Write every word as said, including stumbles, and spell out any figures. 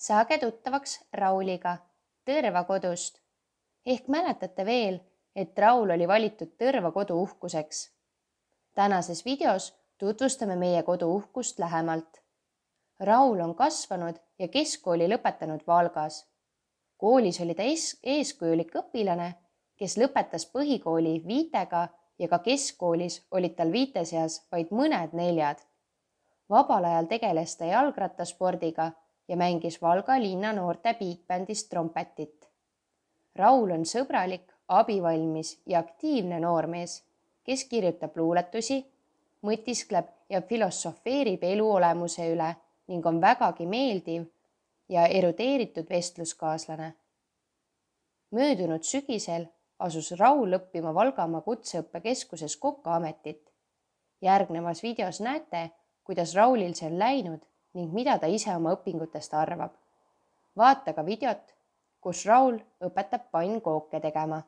Saage tuttavaks Rauliga Tõrva kodust. Ehk mäletate veel, et Raul oli valitud Tõrva kodu uhkuseks. Tänases videos tutvustame meie kodu uhkust lähemalt. Raul on kasvanud ja keskkooli lõpetanud Valgas. Koolis oli ta eeskujulik õpilane, kes lõpetas põhikooli viitega ja ka keskkoolis olid tal viite seas vaid mõned neljad. Vabal ajal tegeles ta jalgrattaspordiga ja mängis Valga linna noorte bigbändis trompetit. Raul on sõbralik, abivalmis ja aktiivne noormees, kes kirjutab luuletusi, mõtiskleb ja filosofeerib elu olemuse üle ning on vägagi meeldiv ja erudeeritud vestluskaaslane. Möödunud sügisel asus Raul õppima Valgamaa kutseõppekeskuses kokaametit. Järgnevas videos näete, kuidas Raulil see on läinud ning mida ta ise oma õpingutest arvab. Vaata ka videot, kus Raul õpetab pannkooke tegema.